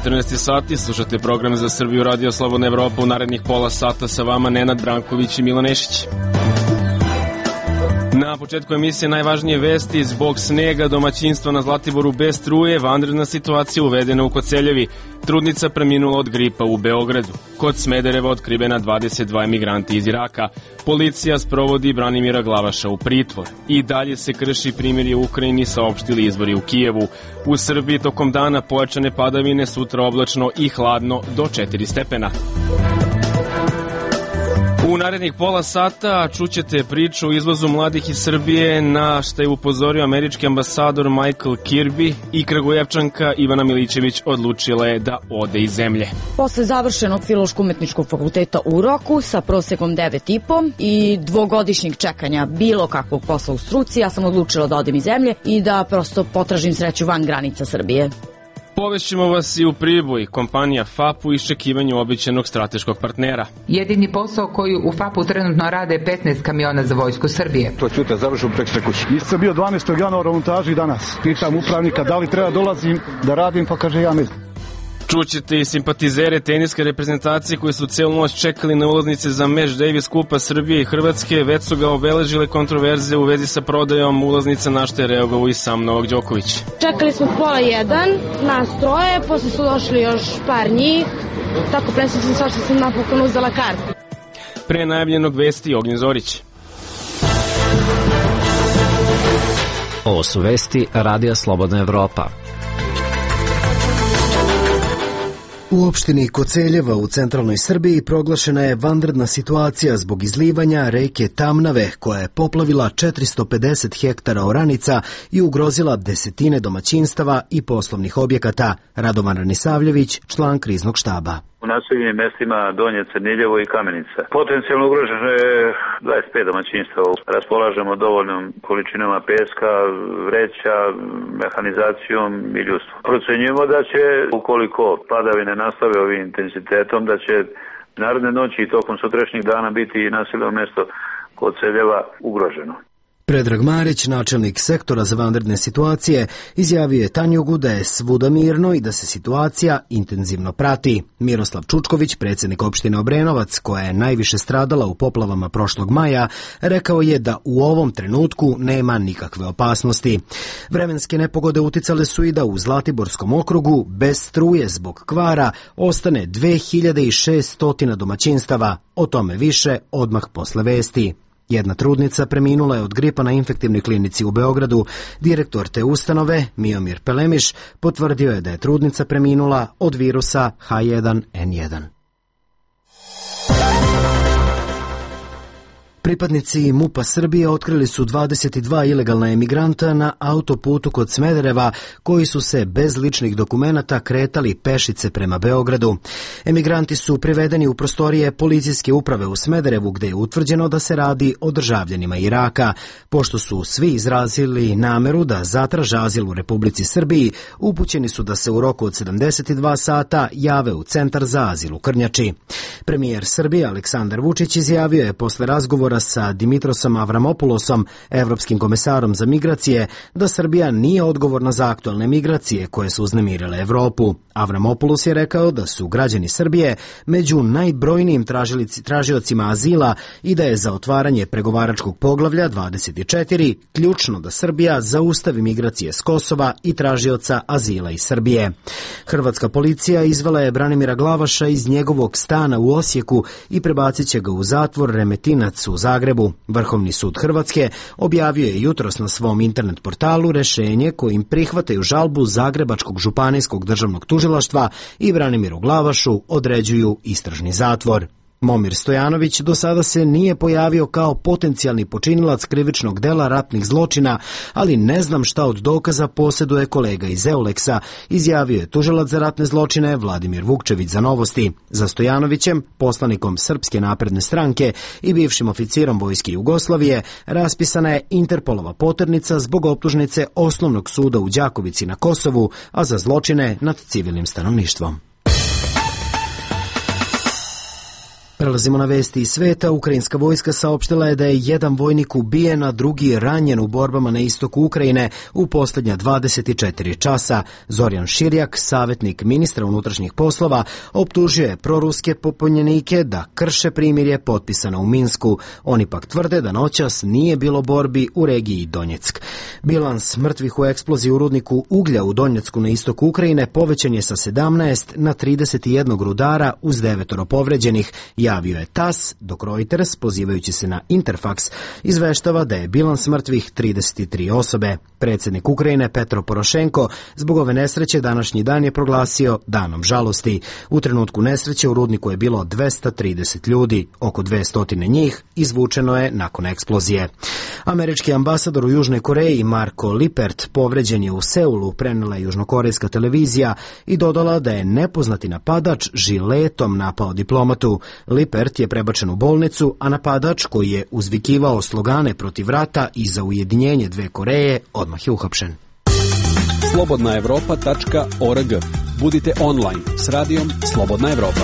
14 sati, slušate program za Srbiju Radio Slobodna Evropa. U narednih pola sata sa vama Nenad Branković i Milan Nešić. Na početku emisije najvažnije vesti: zbog snega domaćinstva na Zlatiboru bez struje, vanredna situacija uvedena u Koceljevi. Trudnica preminula od gripa u Beogradu. Kod Smedereva otkrivena 22 emigranti iz Iraka. Policija sprovodi Branimira Glavaša u pritvor. I dalje se krši primirje u Ukrajini, saopštili izvori u Kijevu. U Srbiji tokom dana pojačane padavine, sutra oblačno i hladno do 4 stepena. U narednih pola sata čućete priču o izvozu mladih iz Srbije, na što je upozorio američki ambasador Michael Kirby, i Kragujevčanka Ivana Milićević odlučila je da ode iz zemlje. Posle završenog Filološko-umetničkog fakulteta u Roku sa prosekom 9,5 i dvogodišnjeg čekanja bilo kakvog posla u struci, ja sam odlučila da odem iz zemlje i da prosto potražim sreću van granica Srbije. Povešćemo vas i u Priboj. Kompanija FAP u iščekivanju obećanog strateškog partnera. Jedini posao koji u FAP-u trenutno rade 15 kamiona za vojsku Srbije. To ćute, završim preko kući. Nisam bio 12. januara u montaži danas. Pitam upravnika da li treba dolazim da radim, pa kaže ja ne znam. Čućete i simpatizere teniske reprezentacije koji su celu noć čekali na ulaznice za meč Davis Kupa Srbije i Hrvatske. Već su ga obeležile kontroverze u vezi sa prodajom ulaznica, na što je reagovao i sam Novak Đoković. Čekali smo 12:30 nas troje, posle su došli još par njih, tako presvećen sam što sam napokon uzela kartu. Pre najavljenog vesti Ognjen Zorić. Ovo su vesti Radija Slobodna Evropa. U opštini Koceljeva u centralnoj Srbiji proglašena je vanredna situacija zbog izlivanja reke Tamnave, koja je poplavila 450 hektara oranica i ugrozila desetine domaćinstava i poslovnih objekata. Radovan Ranisavljević, član kriznog štaba. U naseljenim mestima Donje Crniljevo i Kamenica. Potencijalno ugroženo je 25 domaćinstava. Raspolažemo dovoljnom količinama peska, vreća, mehanizacijom i ljudstvom. Procenjujemo da će, ukoliko padavine nastave ovim intenzitetom, da će naredne noći i tokom sutrašnjih dana biti i naseljeno mesto Koceljeva ugroženo. Predrag Marić, načelnik sektora za vanredne situacije, izjavio je Tanjugu da je svuda mirno i da se situacija intenzivno prati. Miroslav Čučković, predsjednik opštine Obrenovac, koja je najviše stradala u poplavama prošlog maja, rekao je da u ovom trenutku nema nikakve opasnosti. Vremenske nepogode uticale su i da u Zlatiborskom okrugu bez struje zbog kvara ostane 2600 domaćinstava. O tome više odmah posle vesti. Jedna trudnica preminula je od gripa na infektivnoj klinici u Beogradu. Direktor te ustanove, Miomir Pelemiš, potvrdio je da je trudnica preminula od virusa H1N1. Pripadnici MUP-a Srbije otkrili su 22 ilegalna emigranta na autoputu kod Smedereva, koji su se bez ličnih dokumenata kretali pešice prema Beogradu. Emigranti su privedeni u prostorije policijske uprave u Smederevu, gde je utvrđeno da se radi o državljanima Iraka. Pošto su svi izrazili nameru da zatraže azil u Republici Srbiji, upućeni su da se u roku od 72 sata jave u Centar za azil u Krnjači. Premijer Srbije Aleksandar Vučić izjavio je posle razgovora sa Dimitrosom Avramopulosom, evropskim komesarom za migracije, da Srbija nije odgovorna za aktualne migracije koje su uznemirile Evropu. Avramopoulos je rekao da su građani Srbije među najbrojnijim tražiocima azila i da je za otvaranje pregovaračkog poglavlja 24 ključno da Srbija zaustavi migracije s Kosova i tražioca azila iz Srbije. Hrvatska policija izvela je Branimira Glavaša iz njegovog stana u Osijeku i prebacit će ga u zatvor Remetinac u Zagrebu. Vrhovni sud Hrvatske objavio je jutros na svom internet portalu rešenje kojim prihvataju žalbu Zagrebačkog županijskog državnog tužilaštva i Branimiru Glavašu određuju istražni zatvor. Momir Stojanović do sada se nije pojavio kao potencijalni počinilac krivičnog dela ratnih zločina, ali ne znam šta od dokaza posjeduje kolega iz Euleksa, izjavio je tužilac za ratne zločine Vladimir Vukčević za Novosti. Za Stojanovićem, poslanikom Srpske napredne stranke i bivšim oficirom vojske Jugoslavije, raspisana je Interpolova poternica zbog optužnice Osnovnog suda u Đakovici na Kosovu, a za zločine nad civilnim stanovništvom. Prelazimo na vesti iz sveta. Ukrajinska vojska saopštila je da je jedan vojnik ubijen, a drugi ranjen u borbama na istoku Ukrajine u posljednja 24 časa. Zorjan Širjak, savjetnik ministra unutrašnjih poslova, optužio je proruske pobunjenike da krše primirje potpisano u Minsku. Oni pak tvrde da noćas nije bilo borbi u regiji Donjeck. Bilans mrtvih u eksploziji u rudniku uglja u Donjecku na istoku Ukrajine povećan je sa 17 na 31 rudara uz 9 povređenih, javio je TASS, dok Reuters, pozivajući se na Interfax, izveštava da je bilans mrtvih 33 osobe. Predsjednik Ukrajine Petro Porošenko zbog ove nesreće današnji dan je proglasio danom žalosti. U trenutku nesreće u rudniku je bilo 230 ljudi, oko 200 njih izvučeno je nakon eksplozije. Američki ambasador u Južnoj Koreji Marko Lippert povređen je u Seulu, prenijela južnokorejska televizija i dodala da je nepoznati napadač žiletom napao diplomatu. Lippert je prebačen u bolnicu, a napadač koji je uzvikivao slogane protiv rata i za ujedinjenje dve Koreje odmah je uhapšen. slobodnaevropa.org. Budite online s radijom Slobodna Evropa.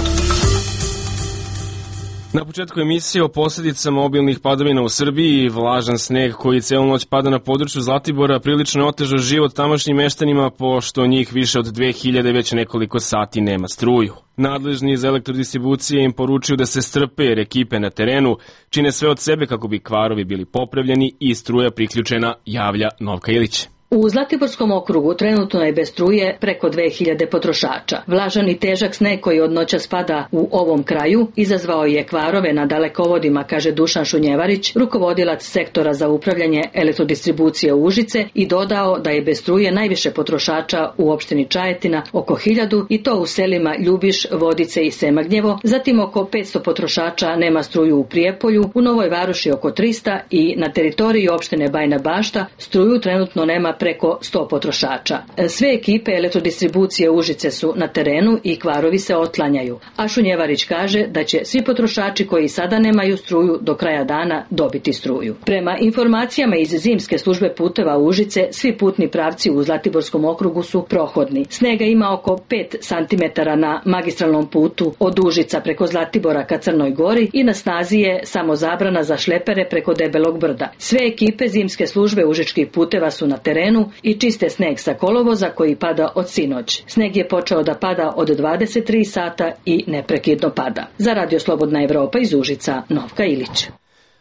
Na početku emisije o posljedicama obilnih padavina u Srbiji, vlažan sneg koji celu noć pada na području Zlatibora prilično je otežao život tamošnjim meštanima, pošto njih više od 2000 već nekoliko sati nema struju. Nadležni iz elektrodistribucije im poručuju da se strpe jer ekipe na terenu čine sve od sebe kako bi kvarovi bili popravljeni i struja priključena, javlja Novka Ilić. U Zlatiborskom okrugu trenutno je bez struje preko 2000 potrošača. Vlažan i težak sneg koji od noća spada u ovom kraju izazvao je kvarove na dalekovodima, kaže Dušan Šunjevarić, rukovodilac sektora za upravljanje elektrodistribucije u Užice, i dodao da je bez struje najviše potrošača u opštini Čajetina, oko 1000, i to u selima Ljubiš, Vodice i Semagnjevo. Zatim oko 500 potrošača nema struju u Prijepolju, u Novoj Varoši oko 300 i na teritoriji opštine Bajina Bašta struju trenutno nema preko 100 potrošača. Sve ekipe elektrodistribucije Užice su na terenu i kvarovi se otklanjaju. A Šunjevarić kaže da će svi potrošači koji sada nemaju struju do kraja dana dobiti struju. Prema informacijama iz zimske službe puteva Užice, svi putni pravci u Zlatiborskom okrugu su prohodni. Snega ima oko 5 cm na magistralnom putu od Užica preko Zlatibora ka Crnoj Gori i na snazi je samo zabrana za šlepere preko Debelog brda. Sve ekipe zimske službe užičkih puteva su na terenu i čiste sneg sa kolovoza koji pada od sinoć. Sneg je počeo da pada od 23 sata i neprekidno pada. Za Radio Slobodna Evropa iz Užica, Novka Ilić.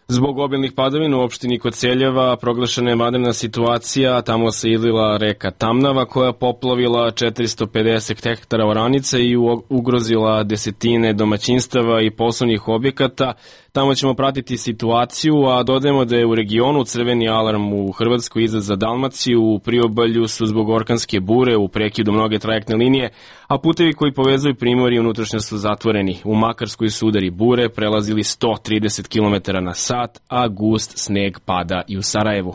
Zbog obilnih padavina u opštini Koceljeva proglašena je vanredna situacija, tamo se izlila reka Tamnava koja poplavila 450 hektara oranica i ugrozila desetine domaćinstava i poslovnih objekata. Tamo ćemo pratiti situaciju, a dodajemo da je u regionu crveni alarm u Hrvatskoj izdat za Dalmaciju, u Priobalju su zbog orkanske bure u prekidu mnoge trajektne linije, a putevi koji povezuju primorje i unutrašnjost su zatvoreni. U Makarskoj su udari bure prelazili 130 km na sat, a gust sneg pada i u Sarajevu.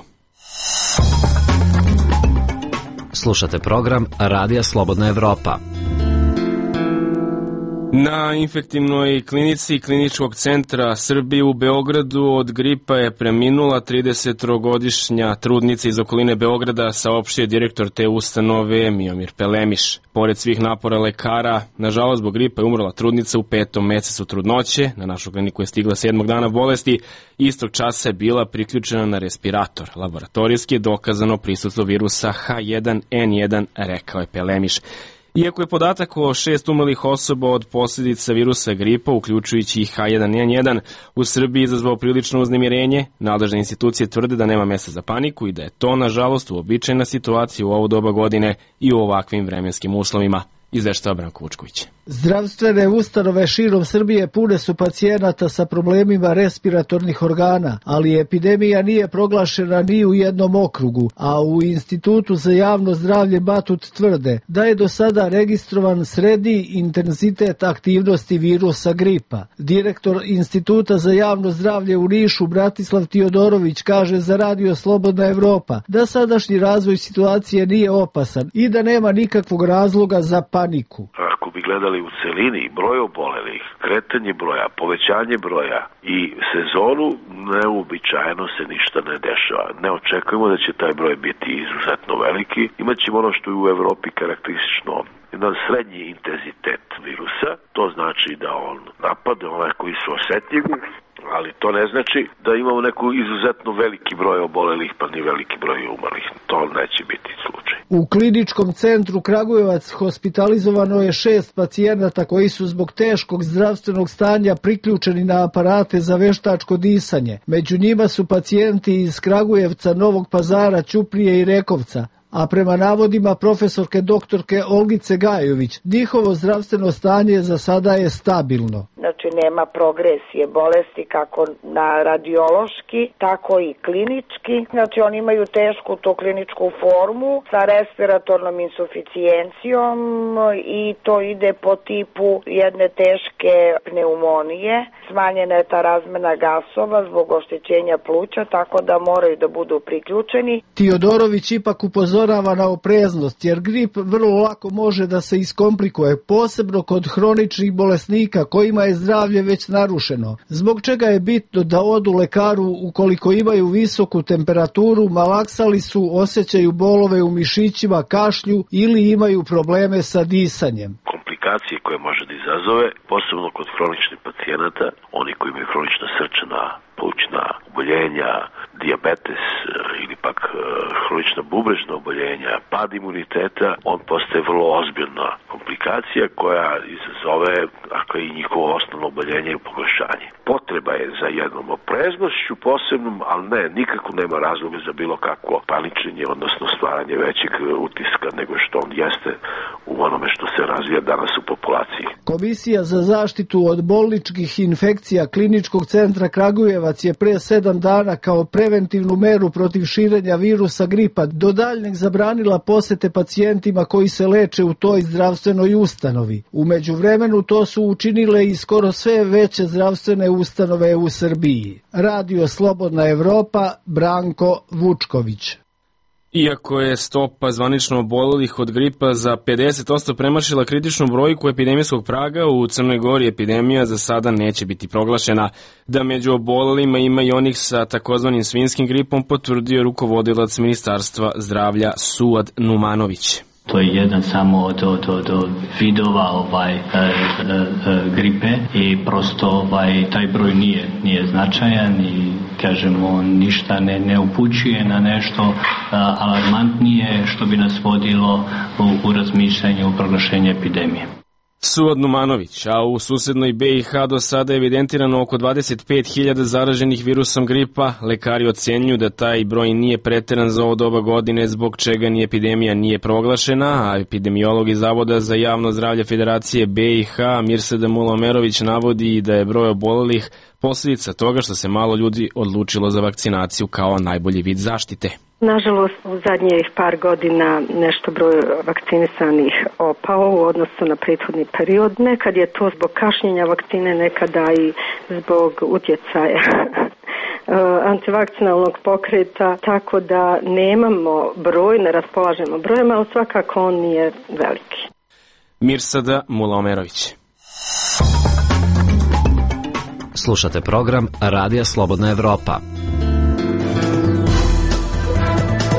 Slušate program Radija Slobodna Evropa. Na infektivnoj klinici Kliničkog centra Srbije u Beogradu od gripa je preminula 33-godišnja trudnica iz okoline Beograda, saopštio direktor te ustanove Miomir Pelemiš. Pored svih napora lekara, nažalost zbog gripa je umrla trudnica u 5. mesecu trudnoće. Na našu kliniku je stigla 7. dana bolesti. Istog časa je bila priključena na respirator. Laboratorijski je dokazano prisustvo virusa H1N1, rekao je Pelemiš. Iako je podatak o 6 umrlih osoba od posljedica virusa gripa, uključujući i H1N1, u Srbiji izazvao prilično uznemirenje, nadležne institucije tvrde da nema mjesta za paniku i da je to, nažalost, uobičajena situacija u ovo doba godine i u ovakvim vremenskim uslovima, izveštava Branko Vučković. Zdravstvene ustanove širom Srbije pune su pacijenata sa problemima respiratornih organa, ali epidemija nije proglašena ni u jednom okrugu, a u Institutu za javno zdravlje Batut tvrde da je do sada registrovan srednji intenzitet aktivnosti virusa gripa. Direktor Instituta za javno zdravlje u Nišu Bratislav Tiodorović kaže za Radio Slobodna Evropa da sadašnji razvoj situacije nije opasan i da nema nikakvog razloga za paniku. Ako bi gledali u celini broj obolelih, kretanje broja, povećanje broja i sezonu, neuobičajeno se ništa ne dešava. Ne očekujemo da će taj broj biti izuzetno veliki. Imaćemo ono što je u Evropi karakteristično, jedan srednji intenzitet virusa to znači da on napade one koji su osetljivi, ali to ne znači da imamo neku izuzetno veliki broj obolelih pa ni veliki broj umrlih. To neće biti slučaj. U kliničkom centru Kragujevac hospitalizovano je 6 pacijenata koji su zbog teškog zdravstvenog stanja priključeni na aparate za veštačko disanje. Među njima su pacijenti iz Kragujevca, Novog Pazara, Ćuprije i Rekovca. A prema navodima profesorke doktorke Olgice Gajović, njihovo zdravstveno stanje za sada je stabilno. Znači nema progresije bolesti kako na radiološki, tako i klinički. Znači oni imaju tešku tu kliničku formu sa respiratornom insuficijencijom i to ide po tipu jedne teške pneumonije. Smanjena je ta razmena gasova zbog oštećenja pluća, tako da moraju da budu priključeni. Tiodorović ipak upozorava na opreznost, jer grip vrlo lako može da se iskomplikuje, posebno kod hroničnih bolesnika kojima je zdravlje već narušeno, zbog čega je bitno da odu lekaru ukoliko imaju visoku temperaturu, malaksali su, osjećaju bolove u mišićima, kašlju ili imaju probleme sa disanjem. Komplikacije koje može da izazove, posebno kod hroničnih pacijenata, oni koji imaju hronična srčana, plućna oboljenja, dijabetes ili pak hronična bubrežna oboljenja, pad imuniteta, on postaje vrlo ozbiljna komplikacija koja izazove i njihovo osnovno oboljenje i pogoršanje. Potreba je za jednom opreznošću posebnom, ali nikako nema razloga za bilo kakvo paničenje, odnosno stvaranje većeg utiska nego što on jeste u onome što se razvija danas u populaciji. Komisija za zaštitu od bolničkih infekcija Kliničkog centra Kragujevac je pre 7 dana kao preventivnu meru protiv širenja virusa gripa do daljnjeg zabranila posete pacijentima koji se leče u toj zdravstvenoj ustanovi. U međuvremenu to su učinile i skoro sve veće zdravstvene ustanove u Srbiji. Radio Slobodna Evropa, Branko Vučković. Iako je stopa zvanično obolelih od gripa za 50% premašila kritičnu brojku epidemijskog praga, u Crnoj Gori epidemija za sada neće biti proglašena. Da među obolelima ima i onih sa takozvanim svinjskim gripom, potvrdio rukovodilac Ministarstva zdravlja Suad Numanović. To je jedan samo od vidova gripe i prosto taj broj nije značajan i kažemo ništa ne upućuje na nešto alarmantnije što bi nas vodilo u razmišljanju o proglašenju epidemije. Suad Numanović, a u susednoj BiH do sada je evidentirano oko 25.000 zaraženih virusom gripa. Lekari ocenjuju da taj broj nije preteran za ovo doba godine, zbog čega ni epidemija nije proglašena, a epidemiolog iz Zavoda za javno zdravlje Federacije BiH Mirsada Mulomerović navodi da je broj obolelih posljedica toga što se malo ljudi odlučilo za vakcinaciju kao najbolji vid zaštite. Nažalost, u zadnjih par godina nešto broj vakcinisanih opao u odnosu na prethodni period. Nekad je to zbog kašnjenja vakcine, nekada i zbog utjecaja antivakcinalnog pokreta, tako da nemamo broj, ne raspolažemo brojem, ali svakako on nije veliki. Mirsada Mulomerović. Slušate program Radija Slobodna Evropa.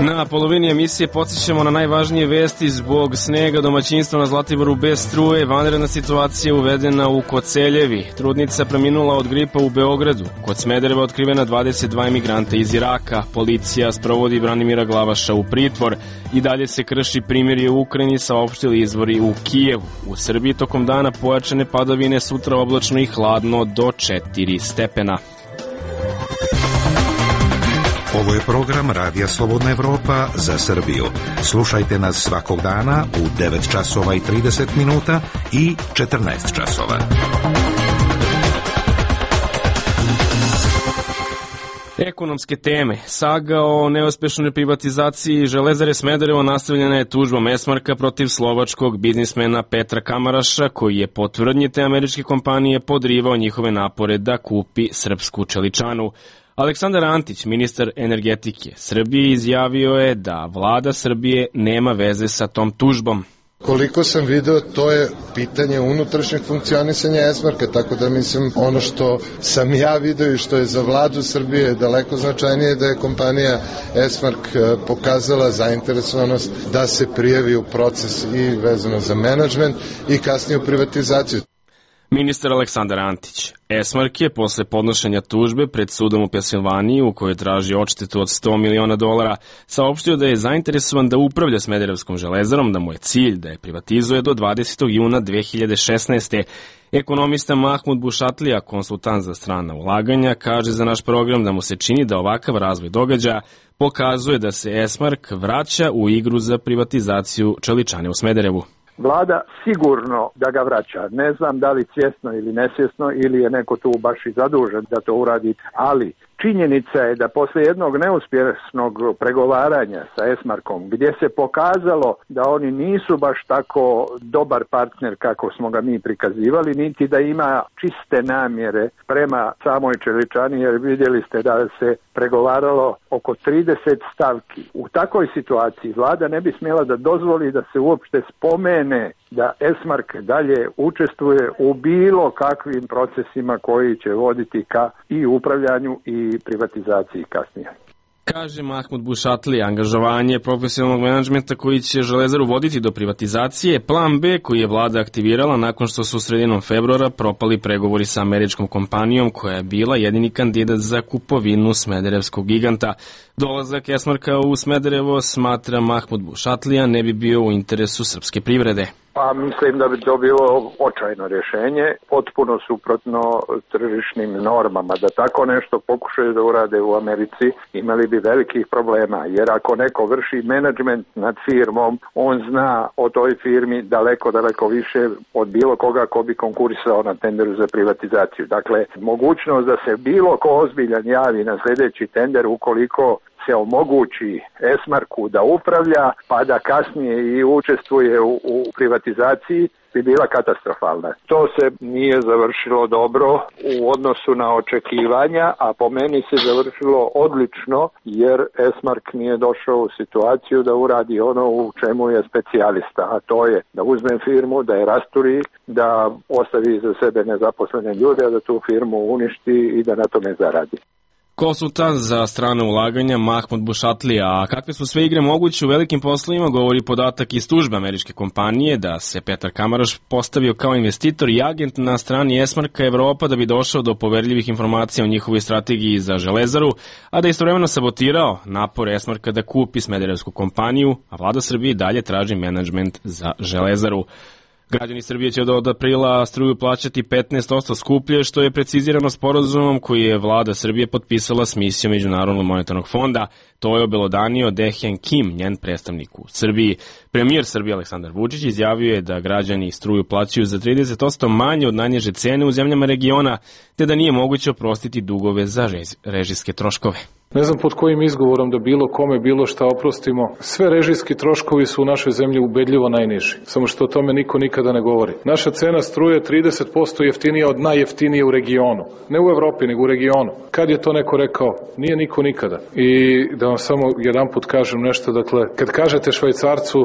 Na polovini emisije podsjećamo na najvažnije vesti. Zbog snega domaćinstva na Zlatiboru bez struje, vanredna situacija uvedena u Koceljevi. Trudnica preminula od gripa u Beogradu. Kod Smedereva otkrivena 22 emigranta iz Iraka. Policija sprovodi Branimira Glavaša u pritvor. I dalje se krši primirje u Ukrajini, saopštili izvori u Kijevu. U Srbiji tokom dana pojačane padavine, sutra oblačno i hladno do 4 stepena. Ovo je program Radija Slobodna Evropa za Srbiju. Slušajte nas svakog dana u 9 časova i 30 minuta i 14 časova. Ekonomske teme. Saga o neuspešnoj privatizaciji Železare Smederevo nastavljena je tužbom Esmarka protiv slovačkog biznismena Petra Kamaraša, koji je po tvrdnji te američke kompanije podrivao njihove napore da kupi srpsku čeličanu. Aleksandar Antić, ministar energetike Srbije, izjavio je da vlada Srbije nema veze sa tom tužbom. Koliko sam video, to je pitanje unutrašnjeg funkcionisanja Esmarka, tako da mislim ono što sam ja video i što je za vladu Srbije daleko značajnije, da je kompanija Esmark pokazala zainteresovanost da se prijavi u proces i vezano za menadžment i kasnije u privatizaciju. Ministar Aleksandar Antić. Esmark je posle podnošenja tužbe pred sudom u Pensilvaniji, u kojoj traži odštetu od $100 miliona, saopštio da je zainteresovan da upravlja Smederevskom železarom, da mu je cilj da je privatizuje do 20. juna 2016. Ekonomista Mahmud Bušatlija, konsultant za strana ulaganja, kaže za naš program da mu se čini da ovakav razvoj događaja pokazuje da se Esmark vraća u igru za privatizaciju čeličane u Smederevu. Vlada sigurno da ga vraća. Ne znam da li svjesno ili nesvjesno ili je neko tu baš i zadužen da to uradi, ali činjenica je da posle jednog neuspješnog pregovaranja sa Esmarkom, gdje se pokazalo da oni nisu baš tako dobar partner kako smo ga mi prikazivali, niti da ima čiste namjere prema samoj čeličani, jer vidjeli ste da se pregovaralo oko 30 stavki. U takvoj situaciji vlada ne bi smjela da dozvoli da se uopšte spomene da Esmark dalje učestvuje u bilo kakvim procesima koji će voditi ka i upravljanju i privatizaciji kasnije. Kaže Mahmud Bušatli, angažovanje profesionalnog menadžmenta koji će železaru voditi do privatizacije, plan B koji je vlada aktivirala nakon što su sredinom februara propali pregovori sa američkom kompanijom koja je bila jedini kandidat za kupovinu smederevskog giganta. Dolazak Esmarka u Smederevo, smatra Mahmud Bušatlija, ne bi bio u interesu srpske privrede. Pa mislim da bi to bilo očajno rješenje, potpuno suprotno tržišnim normama. Da tako nešto pokušaju da urade u Americi, imali bi velikih problema, jer ako neko vrši menadžment nad firmom, on zna o toj firmi daleko više od bilo koga ko bi konkurisao na tenderu za privatizaciju. Dakle, mogućnost da se bilo ko ozbiljan javi na sljedeći tender ukoliko se omogući Esmarku da upravlja, pa da kasnije i učestvuje u privatizaciji, bi bila katastrofalna. To se nije završilo dobro u odnosu na očekivanja, a po meni se završilo odlično, jer Esmark nije došao u situaciju da uradi ono u čemu je specijalista, a to je da uzme firmu, da je rasturi, da ostavi za sebe nezaposlene ljude, a da tu firmu uništi i da na tome zaradi. Konsultant za strane ulaganja Mahmud Bušatlija, a kakve su sve igre moguće u velikim poslovima, govori podatak iz tužbe američke kompanije da se Petar Kamaraš postavio kao investitor i agent na strani Esmarka Evropa da bi došao do poverljivih informacija o njihovoj strategiji za železaru, a da je istovremeno sabotirao napor Esmarka da kupi smederevsku kompaniju, a vlada Srbije dalje traži menadžment za železaru. Građani Srbije će od aprila struju plaćati 15% skuplje, što je precizirano sporazumom koji je vlada Srbije potpisala s misijom Međunarodnog monetarnog fonda. To je obelodanio Dehjan Kim, njen predstavnik u Srbiji. Premijer Srbije Aleksandar Vučić izjavio je da građani struju plaćaju za 30% manje od najniže cene u zemljama regiona, te da nije moguće oprostiti dugove za režijske troškove. Ne znam pod kojim izgovorom da bilo kome bilo šta oprostimo. Sve režijski troškovi su u našoj zemlji ubedljivo najniži. Samo što o tome niko nikada ne govori. Naša cena struje 30% jeftinija od najjeftinije u regionu. Ne u Evropi, nego u regionu. Kad je to neko rekao? Nije niko nikada. I da vam samo jedan put kažem nešto, dakle, kad kažete Švajcarcu,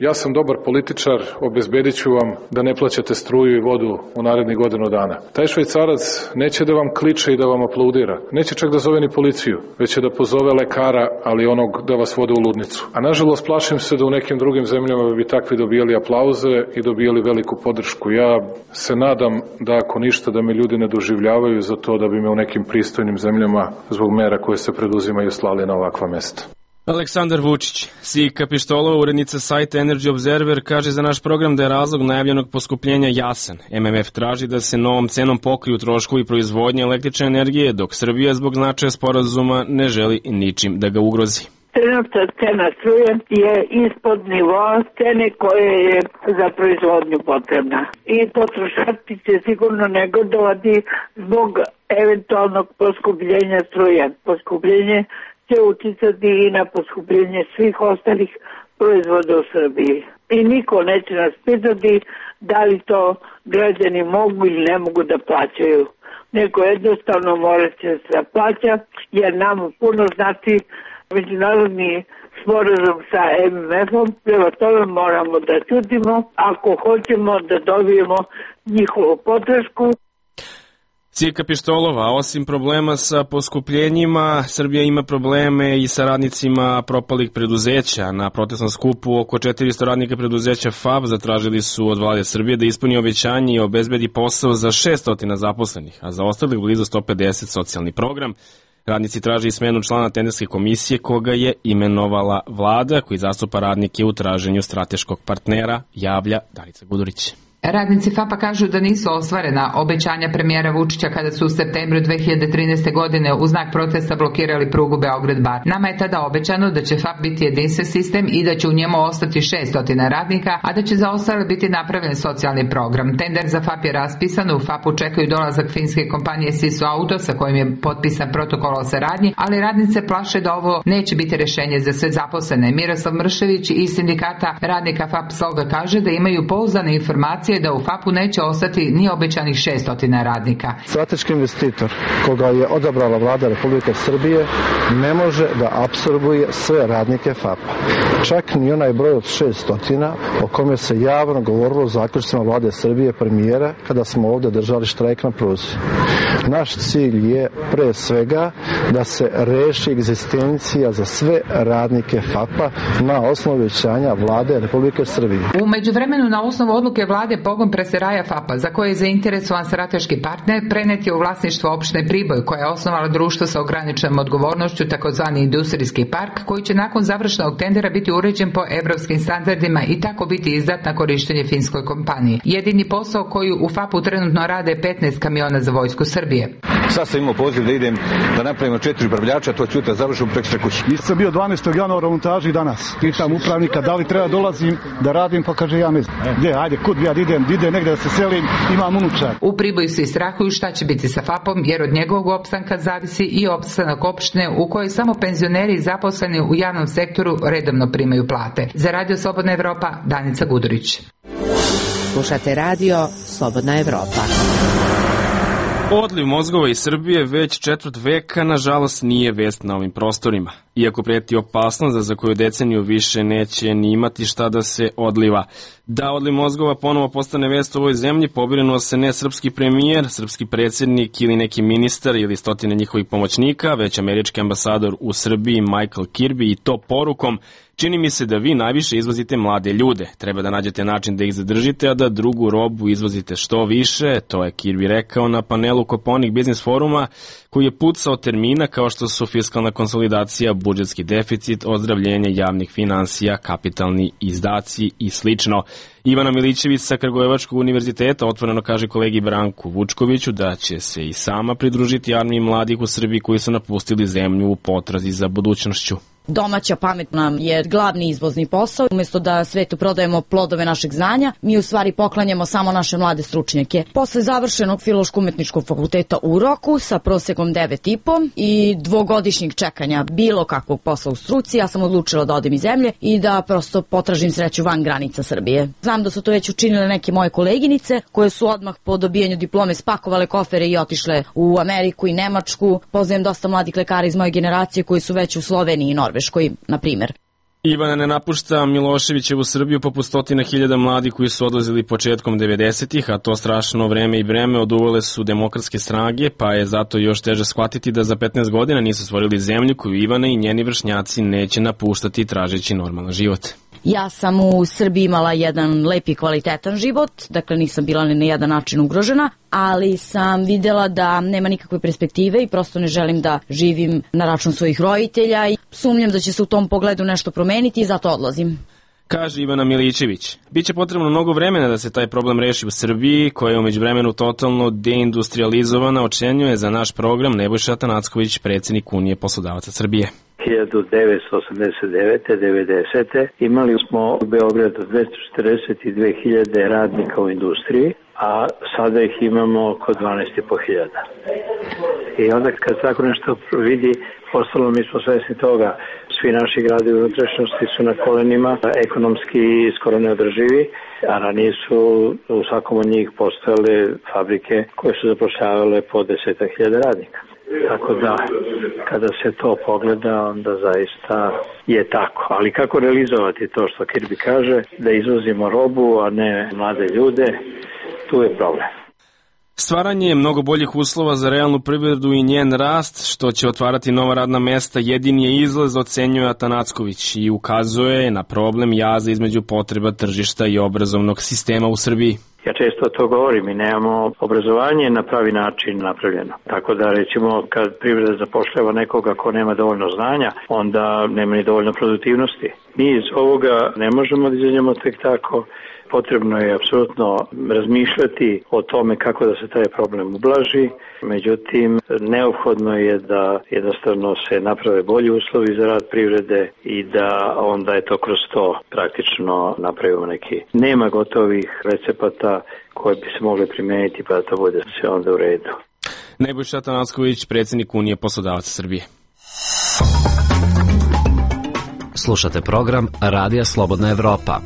ja sam dobar političar, obezbedit ću vam da ne plaćate struju i vodu u narednih godinu dana. Taj Švajcarac neće da vam kliče i da vam aplaudira. Neće čak da zove ni policiju, već će da pozove lekara, ali onog da vas vode u ludnicu. A nažalost plašim se da u nekim drugim zemljama bi takvi dobijali aplauze i dobijali veliku podršku. Ja se nadam da ako ništa da me ljudi ne doživljavaju za to da bi me u nekim pristojnim zemljama zbog mera koje se preduzimaju slali na ovakva mesta. Aleksandar Vučić, Sika Pištolova, urednica sajta Energy Observer, kaže za naš program da je razlog najavljenog poskupljenja jasan. MMF traži da se novom cenom pokriju troškovi proizvodnje električne energije, dok Srbija zbog značaja sporazuma ne želi ničim da ga ugrozi. Trenutna cena struje je ispod nivoa cene koje je za proizvodnju potrebna. I potrošači će sigurno negodovati zbog eventualnog poskupljenja struje. Poskupljenje će uticati i na poskupljenje svih ostalih proizvoda u Srbiji. I niko neće nas pitati da li to građani mogu ili ne mogu da plaćaju. Neko jednostavno mora će se plaća, jer nam puno znači međunarodni sporazum sa MMF-om, prema tome moramo da čutimo ako hoćemo da dobijemo njihovu podršku. Cirka pištolova, osim problema sa poskupljenjima, Srbija ima probleme i sa radnicima propalih preduzeća. Na protestnom skupu oko 400 radnika preduzeća FAP zatražili su od vlade Srbije da ispuni obećanje i obezbedi posao za 600 zaposlenih, a za ostalih blizu 150 socijalni program. Radnici traže i smenu člana tenderske komisije koga je imenovala vlada, koji zastupa radnike u traženju strateškog partnera, javlja Danica Gudurić. Radnici FAP-a kažu da nisu ostvarena obećanja premijera Vučića kada su u septembru 2013. godine u znak protesta blokirali prugu Beograd-Bar. Nama je tada obećano da će FAP biti jedinstven sistem i da će u njemu ostati 600 radnika, a da će za ostale biti napravljen socijalni program. Tender za FAP je raspisan, u FAP-u čekaju dolazak finske kompanije Sisu Auto sa kojim je potpisan protokol o saradnji, ali radnice plaše da ovo neće biti rešenje za sve zaposlene. Miroslav Mršević iz sindikata radnika FAP Sloga kaže da imaju pouzdane informacije da u FAP-u neće ostati ni obećanih 600 radnika. Strateški investitor koga je odabrala vlada Republike Srbije ne može da apsorbuje sve radnike FAP-a. Čak ni onaj broj od 600 o kome se javno govorilo u zaključcima vlade Srbije premijera kada smo ovde držali štrajk na pruzi. Naš cilj je pre svega da se reši egzistencija za sve radnike FAP-a na osnovu obećanja vlade Republike Srbije. U međuvremenu na osnovu odluke vlade pogon preseraja FAP-a, za koje je zainteresovan strateški partner, prenet je u vlasništvo opštine Priboj, koja je osnovala društvo sa ograničenom odgovornošću, takozvani industrijski park, koji će nakon završenog tendera biti uređen po evropskim standardima i tako biti izdat na korištenje finskoj kompaniji. Jedini posao koji u FAP-u trenutno rade 15 kamiona za vojsku Srbije. Sad sam imao poziv da idem da napravimo 4 upravljača, to ću završiti preko kuće. Nisam bio 12. januara u montaži danas. Pitam upravnika da li treba dolazim da radim, pa kaže ja ne znam. Gdje, ajde, kud ja ide negde da se selim, imam unučar. U Priboju se strahuju šta će biti sa FAP-om, jer od njegovog opstanka zavisi i opstanak opštine u kojoj samo penzioneri zaposleni u javnom sektoru redovno primaju plate. Za Radio Slobodna Evropa, Danica Gudurić. Slušate Radio Slobodna Evropa. Odliv mozgova iz Srbije već četvrt veka, nažalost, nije vest na ovim prostorima. Iako preti opasnost da za koju deceniju više neće ni imati šta da se odliva. Da odliv mozgova ponovo postane vest u ovoj zemlji, pobrinuo se ne srpski premijer, srpski predsjednik ili neki ministar ili stotine njihovih pomoćnika, već američki ambasador u Srbiji Michael Kirby, i to porukom: čini mi se da vi najviše izvozite mlade ljude. Treba da nađete način da ih zadržite, a da drugu robu izvozite što više. To je Kirby rekao na panelu Koponik Biznis foruma, koji je pucao termina kao što su fiskalna konsolidacija, budžetski deficit, ozdravljenje javnih finansija, kapitalni izdaci i slično. Ivana Milićević sa Kragujevačkog univerziteta otvoreno kaže kolegi Branku Vučkoviću da će se i sama pridružiti armiji mladih u Srbiji koji su napustili zemlju u potrazi za budućnošću. Domaća pamet nam je glavni izvozni posao. Umjesto da svetu prodajemo plodove našeg znanja, mi u stvari poklanjamo samo naše mlade stručnjake. Posle završenog Filološko-umetničkog fakulteta u Roku sa prosekom 9,5 i dvogodišnjeg čekanja bilo kakvog posla u struci, ja sam odlučila da odem iz zemlje i da prosto potražim sreću van granica Srbije. Znam da su to već učinile neke moje koleginice koje su odmah po dobijanju diplome spakovale kofere i otišle u Ameriku i Nemačku. Poznajem dosta mladih lekara iz moje generacije koji su već u Sloveniji i Norveškoj, na primjer. Ivana ne napušta Miloševićevu Srbiju poput 100.000 mladih koji su odlazili početkom 90-ih, a to strašno vreme i breme oduvale su demokratske snage, pa je zato još teže shvatiti da za 15 godina nisu stvorili zemlju koju Ivana i njeni vršnjaci neće napuštati tražeći normalan život. Ja sam u Srbiji imala jedan lep i kvalitetan život, dakle nisam bila ni na jedan način ugrožena, ali sam vidjela da nema nikakve perspektive i prosto ne želim da živim na račun svojih roditelja i sumnjam da će se u tom pogledu nešto promeniti i zato odlazim. Kaže Ivana Milićević. Biće potrebno mnogo vremena da se taj problem reši u Srbiji, koja je umeđu vremenu totalno deindustrializovana, ocenjuje za naš program Nebojša Atanacković, predsjednik Unije poslodavaca Srbije. 1989-90. imali smo u Beogradu 242.000 radnika u industriji, a sada ih imamo oko 12.500. I onda kad tako nešto vidi, ostalo mi smo svesni toga, svi naši gradovi u unutrašnjosti su na kolenima, ekonomski skoro neodrživi, a ranije su u svakom od njih postojale fabrike koje su zapošljavale po 10.000 radnika. Tako da, kada se to pogleda, onda zaista je tako. Ali kako realizovati to što Kirby kaže, da izvozimo robu, a ne mlade ljude, tu je problem. Stvaranje mnogo boljih uslova za realnu privredu i njen rast, što će otvarati nova radna mesta, jedini je izlaz, ocenjuje Atanacković i ukazuje na problem jaza između potreba tržišta i obrazovnog sistema u Srbiji. Ja često to govorim, mi nemamo obrazovanje na pravi način napravljeno. Tako da recimo kad privreda zapošljava nekoga ko nema dovoljno znanja, onda nema ni dovoljno produktivnosti. Mi iz ovoga ne možemo da izađemo tek tako. Potrebno je apsolutno razmišljati o tome kako da se taj problem ublaži. Međutim, neophodno je da jednostavno se naprave bolji uslovi za rad privrede i da onda je to kroz to praktično napravimo neki. Nema gotovih recepata koje bi se mogli primeniti pa da to bude sve onda u redu. Nebojša Atanacković, predsjednik Unije poslodavaca Srbije. Slušate program Radija Slobodna Evropa.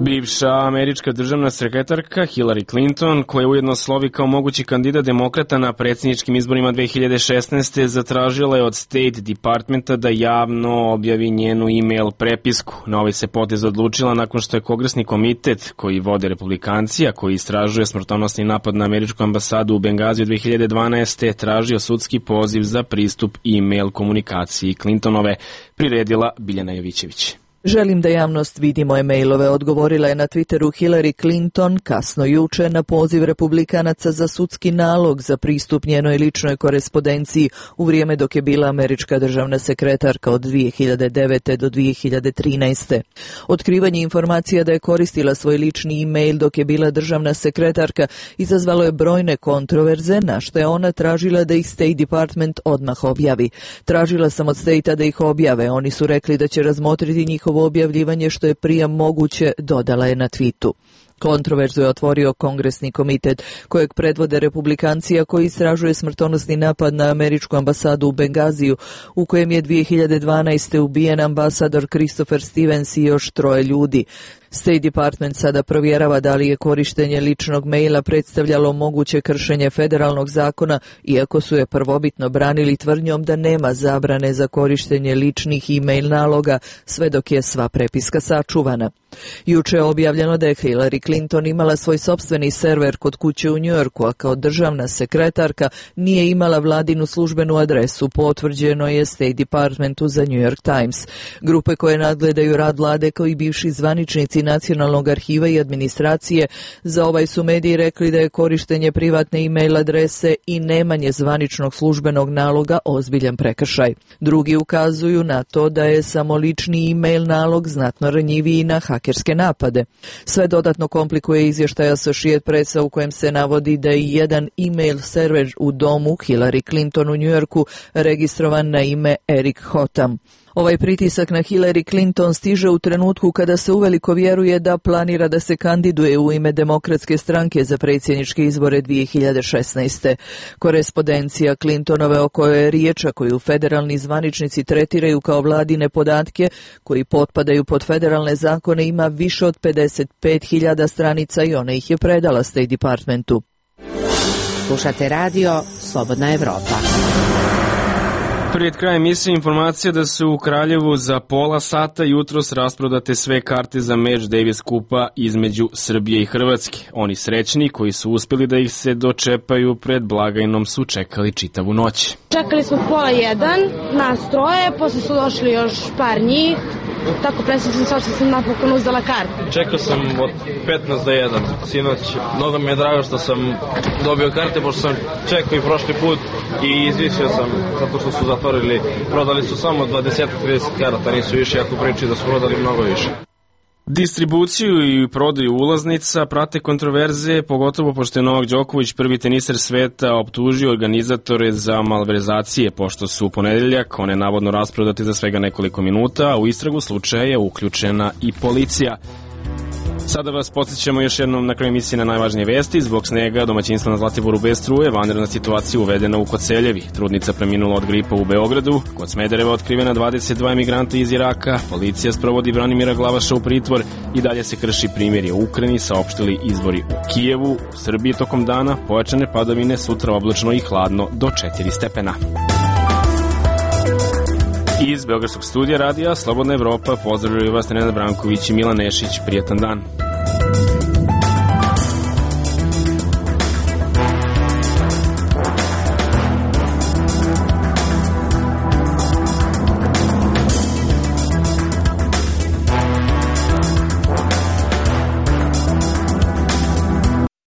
Bivša američka državna sekretarka Hillary Clinton, koja ujedno slovi kao mogući kandidat demokrata na predsjedničkim izborima 2016. zatražila je od State Departmenta da javno objavi njenu e-mail prepisku. Na ovaj se potez odlučila nakon što je Kongresni komitet koji vode republikanci, a koji istražuje smrtonosni napad na američku ambasadu u Bengaziju 2012. tražio sudski poziv za pristup e-mail komunikaciji Clintonove, priredila Biljana Jovićević. Želim da javnost vidi moje mailove, odgovorila je na Twitteru Hillary Clinton kasno juče na poziv republikanaca za sudski nalog za pristup njenoj ličnoj korespondenciji u vrijeme dok je bila američka državna sekretarka od 2009. do 2013. Otkrivanje informacija da je koristila svoj lični e-mail dok je bila državna sekretarka izazvalo je brojne kontroverze, na što je ona tražila da ih State Department odmah objavi. Tražila sam od State-a da ih objave, oni su rekli da će razmotriti njihovo objavljivanje što je prije moguće, dodala je na tweetu. Kontroverzu je otvorio Kongresni komitet kojeg predvode republikanci, a koji istražuje smrtonosni napad na američku ambasadu u Bengaziju u kojem je 2012. ubijen ambasador Christopher Stevens i još 3 ljudi. State Department sada provjerava da li je korištenje ličnog maila predstavljalo moguće kršenje federalnog zakona, iako su je prvobitno branili tvrdnjom da nema zabrane za korištenje ličnih e-mail naloga sve dok je sva prepiska sačuvana. Juče je objavljeno da je Hillary Clinton imala svoj sopstveni server kod kuće u Njujorku, a kao državna sekretarka nije imala vladinu službenu adresu, potvrđeno je State Departmentu za New York Times. Grupe koje nadgledaju rad vlade kao i bivši zvaničnici Nacionalnog arhiva i administracije za ovaj su mediji rekli da je korištenje privatne e-mail adrese i nemanje zvaničnog službenog naloga ozbiljan prekršaj. Drugi ukazuju na to da je samo lični e-mail nalog znatno ranjiviji na hakerske napade. Sve dodatno komplikuje izvještaj Associated Pressa u kojem se navodi da je jedan e-mail server u domu Hillary Clinton u Njujorku registrovan na ime Eric Hotam. Ovaj pritisak na Hillary Clinton stiže u trenutku kada se uveliko vjeruje da planira da se kandiduje u ime Demokratske stranke za predsjedničke izbore 2016. Korespondencija Clintonove o kojoj je riječ, a koju federalni zvaničnici tretiraju kao vladine podatke koji potpadaju pod federalne zakone, ima više od 55.000 stranica i ona ih je predala State Departmentu. Slušate radio Slobodna Evropa. Pred krajem emisije informacija da su u Kraljevu za pola sata jutros rasprodate sve karte za meč Davis Kupa između Srbije i Hrvatske. Oni srećni koji su uspjeli da ih se dočepaju pred blagajnom su čekali čitavu noć. Čekali smo 12:30, nas 3, posle su došli još par njih, tako presrećan sam što sam napokon uzdala kartu. Čekao sam od 15 do 1 sinoć, mnogo mi je drago što sam dobio karte, pošto sam čekao i prošli put i izvisio sam zato što su zatvorili, prodali su samo 20-30 karata, nisu više, ako priči da su prodali mnogo više. Distribuciju i prodaju ulaznica prate kontroverze, pogotovo pošto je Novak Đoković, prvi teniser sveta, optužio organizatore za malverzacije, pošto su u ponedeljak one navodno rasprodate za svega nekoliko minuta, a u istragu slučaja je uključena i policija. Sada vas podsjećamo još jednom na kraju emisije na najvažnije vesti. Zbog snega domaćinstva na Zlatiboru bez struje, vanredna situacija uvedena u Koceljevi. Trudnica preminula od gripa u Beogradu. Kod Smedereva otkrivena 22 emigranta iz Iraka. Policija sprovodi Branimira Glavaša u pritvor i dalje se krši primjerje u Ukrajini, saopštili izvori u Kijevu. U Srbiji tokom dana pojačane padavine, sutra oblačno i hladno do 4 stepena. Iz Beogradskog studija radija Slobodna Evropa pozdravljaju vas Nenad Branković i Milan Nešić. Prijetan dan.